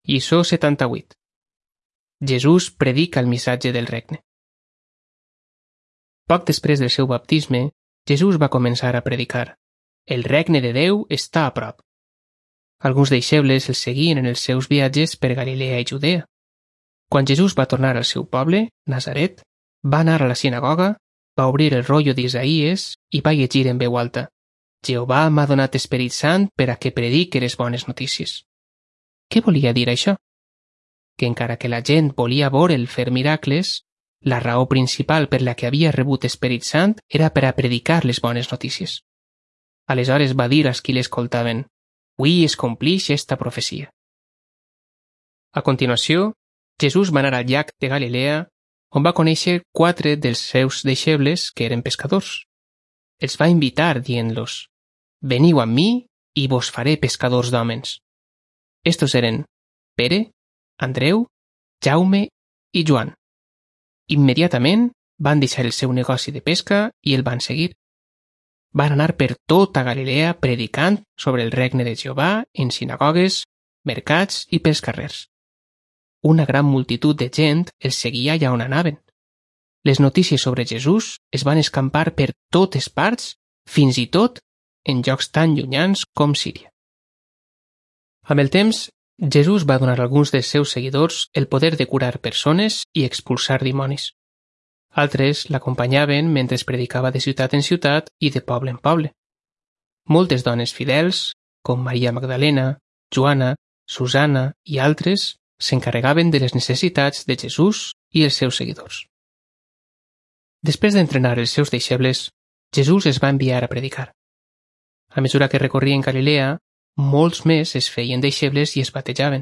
Lliçó 78. Jesús predica el missatge del regne. Poc després del seu baptisme, Jesús va començar a predicar. El regne de Déu està a prop. Alguns deixebles el seguien en els seus viatges per Galilea i Judea. Quan Jesús va tornar al seu poble, Nazaret, va anar a la sinagoga, va obrir el rotllo d'Isaïes i va llegir en veu alta: Jehovà m'ha donat Esperit Sant per a que predique les bones notícies. Què volia dir això? Que encara que la gent volia veure'l fer miracles, la raó principal per la que havia rebut Esperit Sant era per a predicar les bones notícies. Aleshores va dir als qui l'escoltaven: «Ui es complix esta profecia». A continuació, Jesús va anar al llac de Galilea, on va conèixer 4 dels seus deixebles que eren pescadors. Els va invitar dient-los: «Veniu amb mi i vos faré pescadors d'hòmens». Estos eren Pere, Andreu, Jaume i Joan. Immediatament van deixar el seu negoci de pesca i el van seguir. Van anar per tota Galilea predicant sobre el regne de Jehovà en sinagogues, mercats i pels carrers. Una gran multitud de gent els seguia allà on anaven. Les notícies sobre Jesús es van escampar per totes parts, fins i tot en llocs tan llunyans com Síria. Amb el temps, Jesús va donar a alguns dels seus seguidors el poder de curar persones i expulsar dimonis. Altres l'acompanyaven mentre predicava de ciutat en ciutat i de poble en poble. Moltes dones fidels, com Maria Magdalena, Joana, Susana i altres, s'encarregaven de les necessitats de Jesús i els seus seguidors. Després d'entrenar els seus deixebles, Jesús es va enviar a predicar. A mesura que recorrien Galilea, molts més es feien deixebles i es batejaven.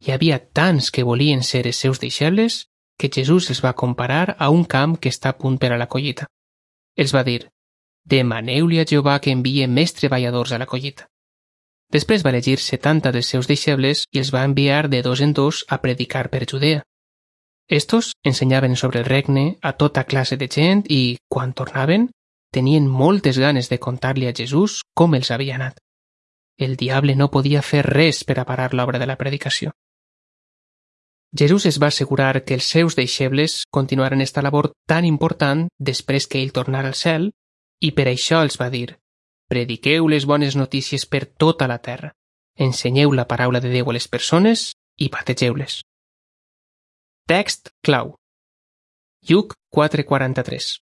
Hi havia tants que volien ser els seus deixebles que Jesús els va comparar a un camp que està a punt per a la collita. Els va dir: «Demaneu-li a Jehovà que envie més treballadors a la collita». Després va elegir 70 dels seus deixebles i els va enviar de 2 en 2 a predicar per Judea. Estos ensenyaven sobre el regne a tota classe de gent i, quan tornaven, tenien moltes ganes de contar-li a Jesús com els havia anat. El diable no podia fer res per a parar l'obra de la predicació. Jesús es va assegurar que els seus deixebles continuaren esta labor tan important després que ell tornara al cel, i per això els va dir: «Prediqueu les bones notícies per tota la terra, ensenyeu la paraula de Déu a les persones i bategeu-les». Text clau. Lluc 4:43.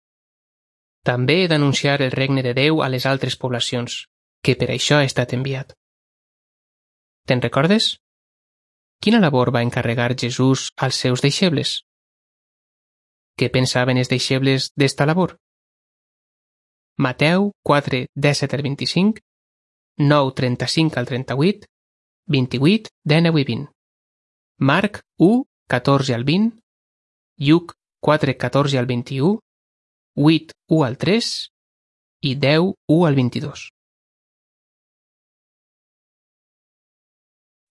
També he d'anunciar el regne de Déu a les altres poblacions, que per això ha estat enviat. Te'n recordes? Quina labor va encarregar Jesús als seus deixebles? Què pensaven els deixebles d'esta labor? Mateu 4:17-25, 9:35-38, 28, 19 i 20. Marc 1:14-20, Lluc 4:14-21, 8:1-3 i 10:1-22.